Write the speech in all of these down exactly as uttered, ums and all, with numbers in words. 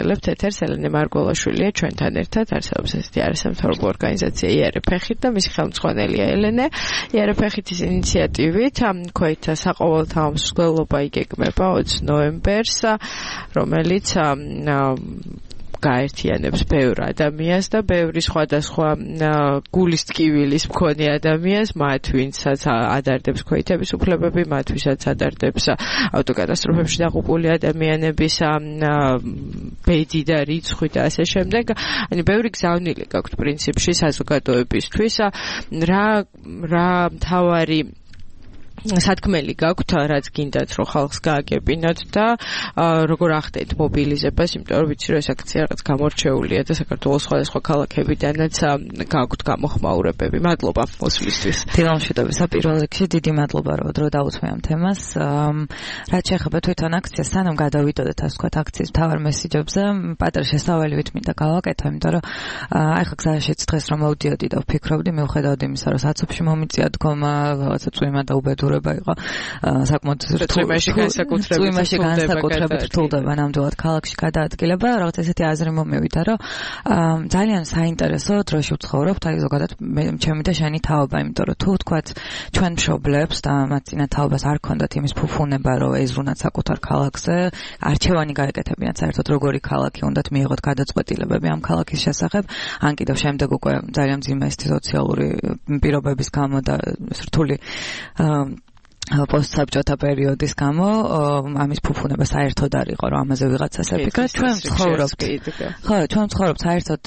ვიწყებთ ეთერს. ელენე მარგველაშვილია ჩვენთან ერთად, არსებობს ესეთი არასამთავრობო ორგანიზაცია იერეფეხით და მისი ხელმძღვანელია ელენე. იერეფეხითის ინიციატივით ქვეითთა საყოველთაო მსვლელობა იგეგმება ოცი ნოემბერს, რომელიც გაერთიანებს ბევრ ადამიანს და ბევრი სხვადასხვა გულის ტკივილის მქონე ადამიანს, მათ ვინცაც ადარდებს ქვეითების უფლებები, მათ ვისაც ადარდებს ავტოკატასტროფებში დაღუპული ადამიანების ბედი და რიცხვი და ასე შემდეგ. ანუ ბევრი გზავნილი გაქვთ პრინციპში საზოგადოებისთვის. რა რა მთავარი სათქმელი გაქვთ, რაც გინდათ რომ ხალხს გააგებინოთ და როგორ ახდენთ მობილიზებას, იმიტომ რომ ვიცი რომ ეს აქცია რაღაც გამორჩეულია და საქართველოს სხვადასხვა ქალაქებიდანაც გაქვთ გამოხმაურებები. მადლობა მოსვლისთვის. დილამშვიდობისა პირველ რიგში დიდი მადლობა რომ დრო დაუთმე ამ თემას. რაც შეეხება თვითონ აქციას, სანამ გადავიდოდეთ ასე ვთქვათ აქციის მთავარ მესიჯებზე, პატარა შესავალივით მინდა გავაკეთო, იმიტომ რომ ახლა გზაშიც დღეს რომ მოვდიოდი და ვფიქრობდი, მიუხედავად იმისა, რომ საცობში მომიწია დგომა, რაღაცა წვიმა და უბედურება იყო საკმაოდ რთულობაში განსაკუთრებით განსაკუთრებით რთულდება ნამდვილად ქალაქში გადაადგილება. რაღაც ესეთი აზრი მომევიდა, რომ ძალიან საინტერესო დროში ვცხოვრობთ, აი ზოგადად ჩემი და შენი თაობა, იმიტომ რომ თუ ვთქვათ ჩვენ მშობლებს და მათ წინა თაობას არ ქონდათ იმის ფუფუნება, რომ ეზრუნათ საკუთარ ქალაქზე, არჩევანი გაეკეთებინათ საერთოდ როგორი ქალაქი უნდათ მიიღოთ გადაწყვეტილებები ამ ქალაქის შესახებ, ან კიდევ შემდეგ უკვე ძალიან მძიმე ეს სოციალური პირობების გამო და რთული პოსტსაბჭოთა პერიოდის გამო ამის ფუფუნება საერთოდ არ იყო, რომ ამაზე ვიღაცას ეკითხა. ჩვენ ვცხოვრობთ. ხო, ჩვენ ვცხოვრობთ საერთოდ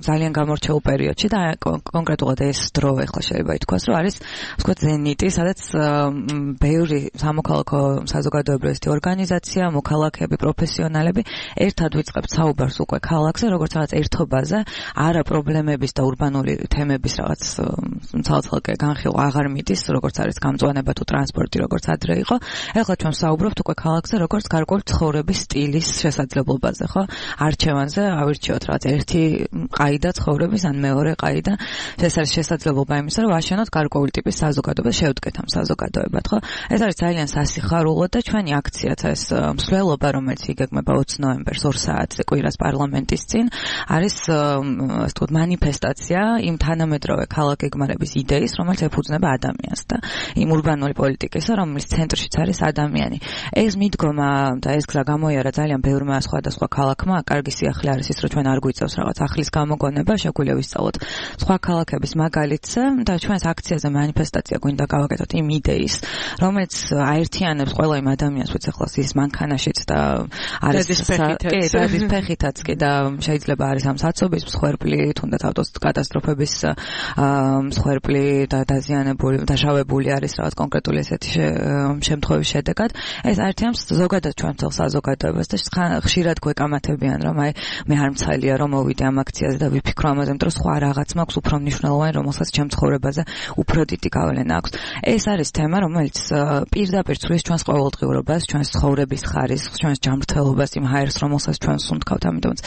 ძალიან გამორჩეულ პერიოდში და კონკრეტულად ეს დრო ახლა შეიძლება ითქვას, რომ არის ვთქვათ ზენიტი, სადაც ბევრი სამოქალაქო საზოგადოებრივი ორგანიზაცია, მოქალაქეები, პროფესიონალები ერთად ვიწყებთ საუბარს უკვე ქალაქზე, როგორც რაღაც ერთობაზე, არა პრობლემების და ურბანული თემების რაღაც ცალ-ცალკე განხილვა აღარ მიდის, როგორც არის გამწვანება თუ ტრანსპორტი როგორც ადრე იყო. ეხლა ჩვენ საუბრობთ უკვე ქალაქზე, როგორც გარკვეული ცხოვრების სტილის შესაძლებლობაზე, ხო? არჩევანზე ავირჩიოთ რაღაც ერთი ყაიდა ცხოვრების, ან მეორე ყაიდა. ეს არის შესაძლებლობა იმისა, რომ ვაშენოთ გარკვეული ტიპის საზოგადოებას, შევდგეთ ამ საზოგადოებად, ხო? ეს არის ძალიან სასიხარულო და ჩვენი აქციაც ეს მსვლელობა, რომელიც იგეგმება ოცი ნოემბერს ორ საათზე კვირას პარლამენტის წინ, არის ასე ვთქვათ მანიფესტაცია იმ თანამედროვე ქალაქგეგმარების იდეის, რომელიც ეფუძნება ადამიანს და იმ ურბანული პოლიტიკისა, რომლის ცენტრშიც არის ადამიანი. ეს მიდგომა და ეს გზა გამოიარა ძალიან ბევრმა სხვადასხვა ქალაქმა. კარგი სიახლე არის ის, რომ ჩვენ არ გვიწევს რაღაც ახლის გამოგონება, შეგვიძლია ვისწავლოთ სხვა ქალაქების მაგალითზე და ჩვენს აქციაზე მანიფესტაცია გვინდა გავაკეთოთ იმ იდეის, რომელიც აერთიანებს ყველა იმ ადამიანს, ვიც ახლა ის მანქანაშიც და არის დადის ფეხითაც კი და შეიძლება არის ამ საცობის მსხვერპლი, თუნდაც ავტოკატასტროფების მსხვერპლი და დაზიანებული, დაშავებული არის რაღაც კონკრეტული ესეთი შემთხვევების შედეგად. ეს აერთიანებს ზოგადად ჩვენ თელ საზოგადოებას და ხშირად გვეკამათებიან, რომ აი მე არ მცალია რომ მოვიდე ამ აქციაზე და ვიფიქრო ამაზე, იმიტომ რომ სხვა რაღაც მაქვს უფრო მნიშვნელოვანი, რომელსაც ჩემ ცხოვრებაზე უფრო დიდი გავლენა აქვს. ეს არის თემა, რომელიც პირდაპირ ცვლის ჩვენს ყოველდღიურობას, ჩვენს ცხოვრების ხარისხს, ჩვენს ჯანმრთელობას, იმ ჰაერს, რომელსაც ჩვენ სუნთქავთ. ამიტომაც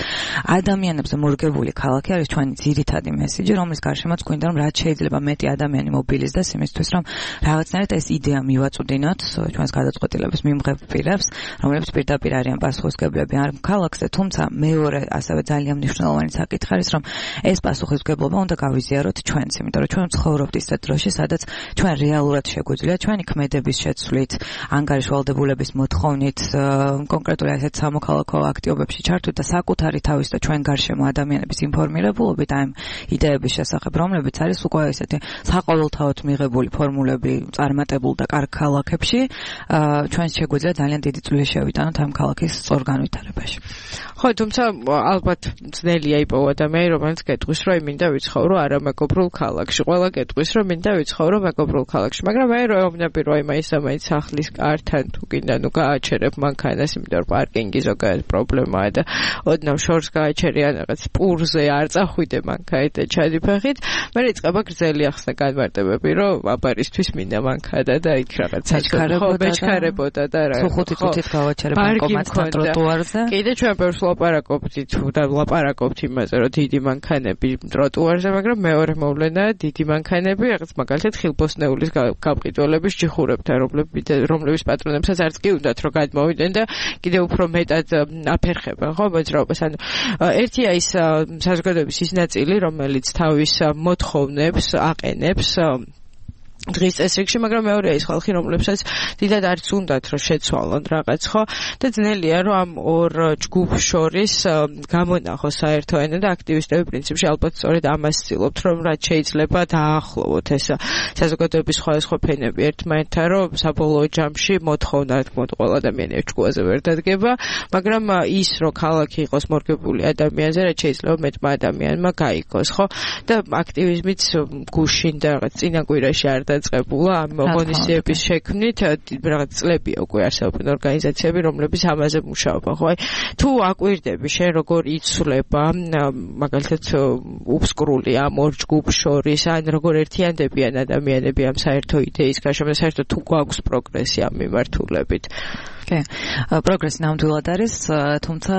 ადამიანებზე მორგებული ქალაქი არის ჩვენი ძირითადი მესიჯი, რომლის გარშემოც გვინდა რომ რაც შეიძლება მეტი ადამიანი მობილიზდეს იმისთვის, რომ რაღაცნაირად ეს იდეა მივაწვდინოთ ჩვენს გადაწყვეტილების მიმღებ პირებს, რომლებიც პირდაპირ არიან პასუხისმგებლები ამ ქალაქზე, თუმცა მეორე ასევე ძალიან მნიშვნელოვანი საკითხი არის, რომ ეს პასუხისმგებლობა უნდა გავიზიაროთ ჩვენც, იმიტომ რომ ჩვენ ცხოვრობთ ისეთ დროში, სადაც ჩვენ რეალურად შეგვიძლია ჩვენი ქმედების შეცვლით, ანგარიშვალდებულების მოთხოვნით, კონკრეტულად ასეთ სამოქალაქო აქტივობებში ჩართვით და საკუთარი თავის და ჩვენ გარშემო ადამიანების ინფორმირებულობით ამ იდეების შესახებ, რომლებიც არის უკვე ესეთი საყოველთაოდ მიღებული ფორმულები წარმატებულ და კარგ ქალაქებში, ჩვენ შეგვიძლია ძალიან დიდი წვლილი შევიტანოთ ამ ქალაქის სწორ განვითარებაში. ხო, თუმცა ალბათ ძნელია იპოვა ადამიანი, რომელიც გეტყვის, რომ მინდა ვიცხოვრო არა მეგობრულ ქალაქში. ყველა გეტყვის, რომ მინდა ვიცხოვრო მეგობრულ ქალაქში, მაგრამ მე რომ ევნები რომ მაინც ამაინც სახლის კართან თუ გინდა ნუ გააჩერებ მანქანას, იმიტომ რომ პარკინგი ზოგადად პრობლემაა და ოდნავ შორს გააჩერიან რაღაც პურზე არ წახვიდე მანქანით და ჩადიფეხით, მე იწყება გრძელი ახსნა განმარტებები, რომ აბარისთვის მინდა მანქანა და იქ რაღაც საჩქარებოდა და რა. ხუთი წუთით გავაჩერებ ბანკომატთან ტროტუარზე. კიდე ჩვენ ბევრს ვლაპარაკობთ თუ და ვლაპარაკობთ იმაზე, რომ დიდი მანქანები ტროტუარზე, მაგრამ მეორე მოვლენაა დიდი მანქანები, რაღაც მაგალითად ხილბოსნეულის გამყიდველების ჯიხურებთან, რომლების პატრონებსაც არც კი უნდათ რომ გადმოვიდნენ და კიდევ უფრო მეტად აფერხებენ, ხო, მოძრაობას. ანუ ერთია ის საზოგადოების ის ნაწილი, რომელიც თავის მოთხოვნებს აყენებს დღის წესრიგში, მაგრამ მეორეა ის ხალხი, რომლებსაც დიდად არც უნდათ რომ შეცვალონ რაღაც, ხო? და ძნელია რომ ამ ორ ჯგუფს შორის გამონახოს საერთო ენა და აქტივისტები პრინციპში ალბათ სწორედ ამას ცდილობთ, რომ რაც შეიძლება დაახლოვოთ ეს საზოგადოების სხვადასხვა ფენები ერთმანეთთან, რომ საბოლოო ჯამში მოთხოვნა, რა თქმა უნდა, ყველა ადამიანი ეჭკუაზე ვერ დადგება, მაგრამ ის რომ ქალაქი იყოს მორგებული ადამიანზე, რაც შეიძლება მეტმა ადამიანმა გაიგოს, ხო? და აქტივიზმიც გუშინ და რაღაც წინა კვირაში არ დაწყებულა ამ ღონისძიების შექმნით, რაღაც წლებია უკვე არსებობენ ორგანიზაციები, რომლებიც ამაზე მუშაობენ, ხო? თუ აკვირდები შენ როგორ იცვლება მაგალითად უბსკრული ამ ორ ჯგუფს შორის, ან როგორ ერთიანდებიან ადამიანები ამ საერთო იდეის გაშენებაში, საერთოდ თუ გვაქვს პროგრესი ამ მიმართულებით? კი, პროგრესი ნამდვილად არის, თუმცა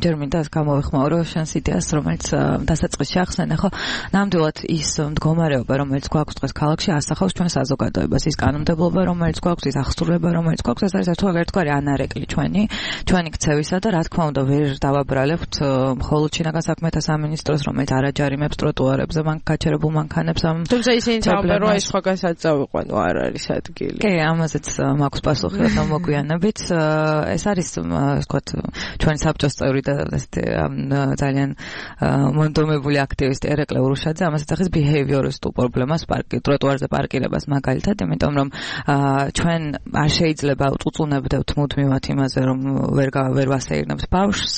ჯერ მინდა გამოვიხმაურო შენს იდეას, რომელიც დასაწყისში ახსენე, ხო? ნამდვილად ის მდგომარეობა, რომელიც გვაქვს დღეს ქალაქში, ასახავს ჩვენ საზოგადოებას, ის კანონმდებლობა, რომელიც გვაქვს, ის აღსრულება, რომელიც გვაქვს, ეს არის ერთგვარი ანარეკლი ჩვენი, ჩვენი ქცევისა და რა თქმა უნდა ვერ დავაბრალებთ მხოლოდ შინაგან საქმეთა სამინისტროს, რომელიც არ აჯარიმებს ტროტუარებზე გაჩერებულ მანქანებს. თუმცა ისინი თამბერო აი სხვაგანაც წავიყვანო, არ არის ადგილი. კი, ამაზეც მაქვს პასუხი, რომ მოგვიანებით ეს არის, ვთქვათ, ჩვენი საბჭოს წევრი და ესეთი ძალიან მონდომებული აქტივისტი ერეკლე ურუშაძე ამასაც ახის behavioristul პრობლემას პარკი ტროტუარზე პარკირებას მაგალითად, იმიტომ რომ ჩვენ არ შეიძლება უწუწუნებდეთ მუდმივად იმაზე, რომ ვერ ვერ ვასეირნებთ ბავშვს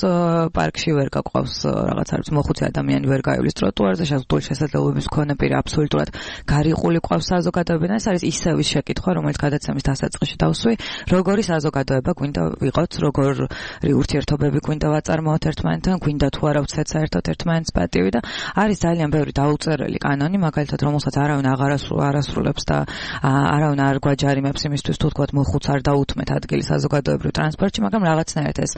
პარკში, ვერ გაყვავს რაღაც არის მოხუცი ადამიანი ვერ გაივლის ტროტუარზე, შესაძლოა შესაძლებლობის მქონე პირი აბსოლუტურად გარიყული ყავს საზოგადოებიდან. ეს არის ისევ ის შეკითხვა, რომელიც გადაცემის დასაწყისში დავსვი, როგორი საზოგადოება გვინდა ვიყოთ, როგორი ურთიერთობები გვინდა ვაწარმოოთ ერთმანეთთან, გვინდა თუ არა ვცეთ საერთოდ ერთმანეთს პატივი და არის ძალიან ბევრი დაუწერელი კანონი, მაგალითად, რომელსაც არავინ აღარ არასრულებს და არავინ არ გვაჯარიმებს იმისთვის, თუ თქვათ მოხუც არ დაუთმეთ ადგილი საზოგადოებრივ ტრანსპორტში, მაგრამ რაღაცნაირად ეს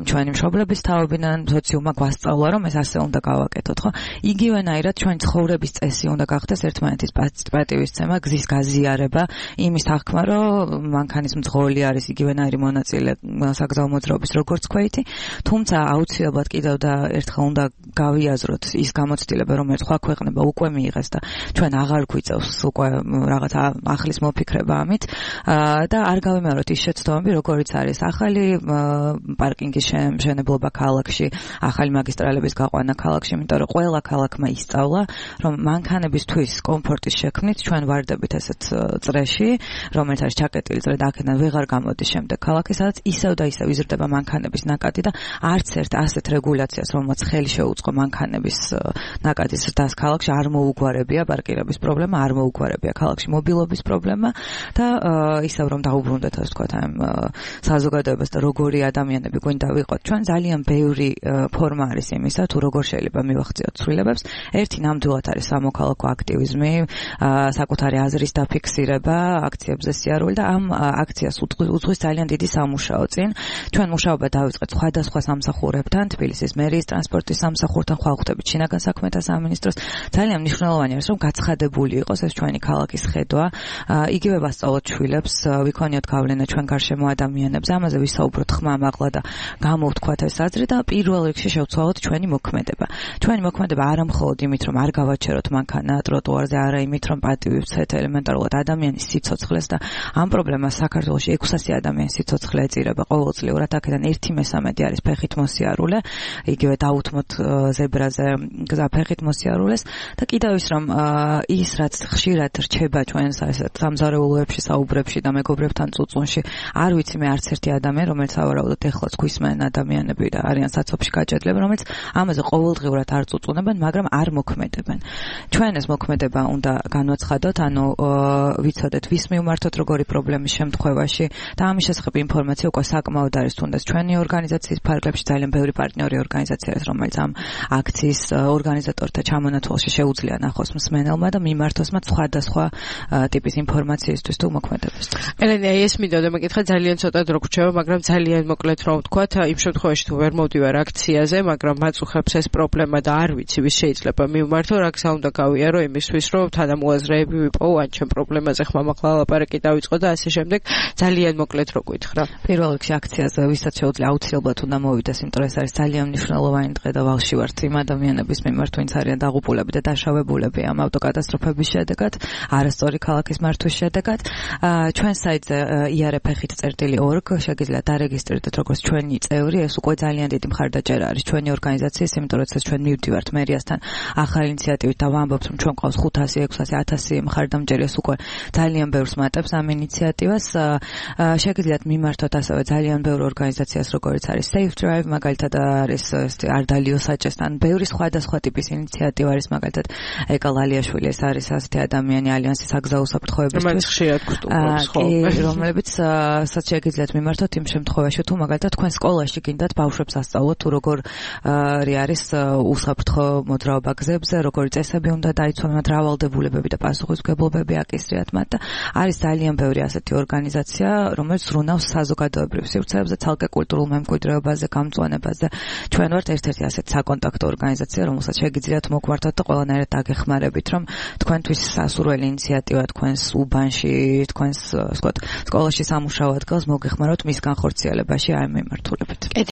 ჩვენი მშობლების თაობიდან სოციუმმა გვასწავლა, რომ ეს ასე უნდა გავაკეთოთ, ხო? იგივენაირად ჩვენი ცხოვრების წესი უნდა გახდეს ერთმანეთის პატივისცემა, გზის გაზიარება, იმის თქმა, რომ მანქანის მძღოლი არის იგივენაირი მონაწილე საგზაო მოძრაობის როგორც ქვეითი, თუმცა აუცილებლად კიდევ და ერთხელ უნდა გავიაზროთ ის გამოცდილება, რომელიც სხვა ქვეყნება უკვე მიიღეს და ჩვენ აღარ გვიწევს უკვე რაღაც ახლის მოფიქრება ამით და არ გავიმეოროთ ის შეცდომები, როგორიც არის ახალი პარკინგის შემშენებლობა ქალაქში, ახალი მაგისტრალების გაყვანა ქალაქში, იმიტომ რომ ყველა ქალაქმა ისწავლა, რომ მანქანებისთვის კომფორტის შექმნით ჩვენ ვარდებით ესეთ წრეში, რომელიც არის ჩაკეტილი წრე და აქედან ვეღარ გამოდის შემდეგ ქალაქი, სადაც ისევ და ისევ იზრდება მანქანების ნაკადი და არც ერთ ასეთ რეგულაციას, რომელმაც ხელი შეუწყო მანქანების ნაკადის ზრდას ქალაქში, არ მოუგვარებია პარკირების პრობლემა, არ მოუგვარებია ქალაქში მობილობის პრობლემა და ისევ რომ დაუბრუნდეთ, ასე ვთქვათ, ამ საზოგადოებას და როგორი ადამიანები გვინდა ვიყოთ. ჩვენ ძალიან ბევრი ფორმა არის იმისა, თუ როგორ შეიძლება მივახციოთ ცვლილებებს. ერთი ნამდვილად არის სამოქალაქო აქტივიზმი, საკუთარი აზრის დაფიქსირება, აქციებზე სიარული და ამ აქციას უძღვის ძალიან დიდი სამუშაო წინ. ჩვენ მუშაობა დავიწყეთ სხვადასხვა სამსახურებთან, თბილისის მერიის ტრანსპორტის სამსახურთან, ხვალხდებით შინაგან საქმეთა სამინისტროს. ძალიან მნიშვნელოვანი არის, რომ გაცხადებული იყოს ეს ჩვენი ქალაქის ხედვა. იგივე ვასწავლოთ შვილებს, ვიქონიოთ გავლენა ჩვენ გარშემო ადამიანებს, ამაზე ვისაუბროთ ხმამაღლა და გამოვთქვათ ეს აზრი და პირველ რიგში შევცვალოთ ჩვენი მოქმედება. ჩვენი მოქმედება არა მხოლოდ იმით, რომ არ გავაჩეროთ მანქანა ტროტუარზე, არა იმით, რომ პატივი ვცეთ ელემენტარულად ადამიანის სიცოცხლეს და ამ პრობლემას საქართველოში ექვსასი ადამიანის სიცოცხლე ეწირება ყოველწლიურად, აქედან ერთი მესამედი არის ფეხით მოსიარულე, იგივე დაუთმოთ ზებრაზე გზა ფეხით მოსიარულეს და კიდევ ის რომ ის რაც ხშირად რჩება ჩვენს ესეთ სამზარეულოებში, საუბრებში და მეგობრებთან წუწუნში, არ ვიცი მე არც ერთი ადამიანი, რომელიც ავარაუდოთ ეხლაც გვისმენ ადამიანები და არიან საცობში გაჭედლები, რომელიც ამაზე ყოველდღიურად არ წუწუნებენ, მაგრამ არ მოქმედებენ. ჩვენ ეს მოქმედება უნდა განვაცხადოთ, ანუ ვიცოდეთ ვის მივმართოთ როგორი პრობლემის შემთხვევაში და ამის შესახებ ინფორმაცია უკვე საკმაოდ არის, თუნდაც ჩვენი ორგანიზაციის ფარგლებში ძალიან ბევრი პარტნიორი ორგანიზაცია არის, რომელიც ამ აქციის ორგანიზატორთა ჩამონათვალში შეუძლია ნახოს მსმენელმა და მიმართოს მათ სხვადასხვა ტიპის ინფორმაციისთვის თუ მოქმედებისთვის. ელენე, ეს მინდოდა მეკითხა, ძალიან ცოტა დრო გვჭირდება, მაგრამ ძალიან მოკლედ რომ ვთქვათ, იმ შემთხვევაში თუ ვერ მოვდივარ აქციაზე, მაგრამ მაწუხებს ეს პრობლემა და არ ვიცი ვის შეიძლება მივმართო, რა გზა უნდა გავიარო იმისთვის, რომ თანამოაზრეები ვიპოვო, ან ჩემ პრობლემაზე ხმამაღლა ლაპარაკი დავიწყო და ასე შემდეგ. ძალიან მოკლედ რო გითხრა. პირველ რიგში აქციაზე ვისაც შეუძლია აუცილებლად უნდა მოვიდეს, იმიტომ რომ ეს არის ძალიან მნიშვნელოვანი დღე და ვალში ვართ იმ ადამიანების მიმართ, ვინც არიან დაღუპულები და დაშავებულები ამ ავტოკატასტროფების შედეგად, არასწორი ქალაქის მართვის შედეგად. ჩვენ საიტზე iarf-ით წერტილი org შეგიძლიათ დარეგისტრირდეთ როგორც ჩვენი წევრი, ეს უკვე ძალიან დიდი მხარდაჭერა არის ჩვენი ორგანიზაციის, იმიტომ რომ ეს ჩვენ მივდივართ მერიასთან ახალი ინიციატივით და ვამბობთ, რომ ჩვენ ყავს ხუთასი, ექვსასი, ათასი მხარდამჭერი, ეს უკვე ძალიან ბევრს მატებს ამ ინიციატივას. შეგიძლიათ მიმართოთ ასევე ძალიან ბევრ ორგანიზაციას, როგორც არის Safe Drive, მაგალითად არის არდალიო საჭესთან, ბევრი სხვადასხვა ტიპის ინიციატივა არის, მაგალითად ეკა ლალიაშვილი, ეს არის ასეთი ადამიანი ალიანსის საგზაო საფრთხოებისთვის, რომელიც ხშირად გვტყურობს, ხო, რომლებიც საც შეგიძლიათ მიმართოთ იმ შემთხვევაში, თუ მაგალითად თქვენ სკოლაში გინდათ ბავშვებს ასწავლოთ, თუ როგორ არის უსაფრთხო მოძრაობა გზებზე, როგორი წესები უნდა დაიცვან, რავალდებულებები და პასუხისმგებლობები აკისრიათ მათ და არის ძალიან ბევრი ასეთი ორგანიზაცია, რომელიც ზრუნავს საზოგადოებრივ სივრცეებზე, ცალკე კულტურულ მემკვიდრეობაზე, გამწვანებაზე. ჩვენ ვართ ერთ-ერთი ასეთი საკონტაქტო ორგანიზაცია, რომელსაც შეგიძლიათ მოგვართოთ და ყველანაირად დაგეხმარებით, რომ თქვენთვის სასურველი ინიციატივა თქვენს უბანში, თქვენს სკოლაში სამუშაო ადგილს მოგეხმაროთ მის განხორციელებაში აი მიმართულებით.